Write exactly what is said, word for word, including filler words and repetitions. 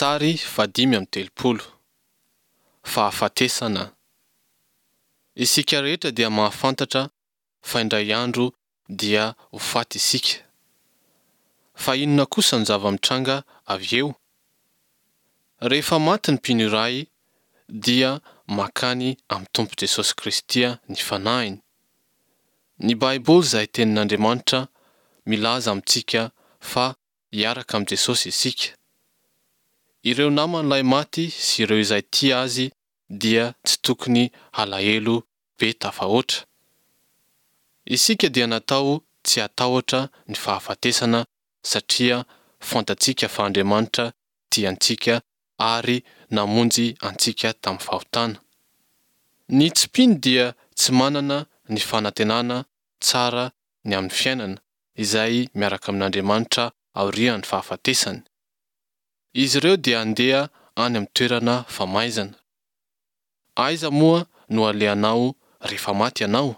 Sary fahadimy amby telopolo. Fahafatesana. Isika rehetra dia mahafantatra fa indray andro dia ho faty isika. Fa inona kosa no zava-mitranga avy eo? Rehefa maty ny mpino iray dia mankany amin'ny Tompo Jesosy Kristy ny fanahiny. Ny Baiboly izay tenin'Andriamanitra milaza amintsika fa hiaraka amin'i Jesosy isika. Ireo naman'ilay maty sy ireo izay tia azy dia tsy tokony halahelo be tafahoatra. Isika dia natao tsy hatahotra ny fahafatesana satria fantatsika fa Andriamanitra tia antsika ary namonjy antsika tamin'ny fahotana. Ny tsy mpino dia tsy manana ny fanantenana tsara ny amin'ny fiainana izay miaraka amin'Andriamanitra aorian'ny fahafatesany. Izy ireo dia handeha any amin'ny toerana famaizana. Aiza moa no alehanao rehefa maty ianao?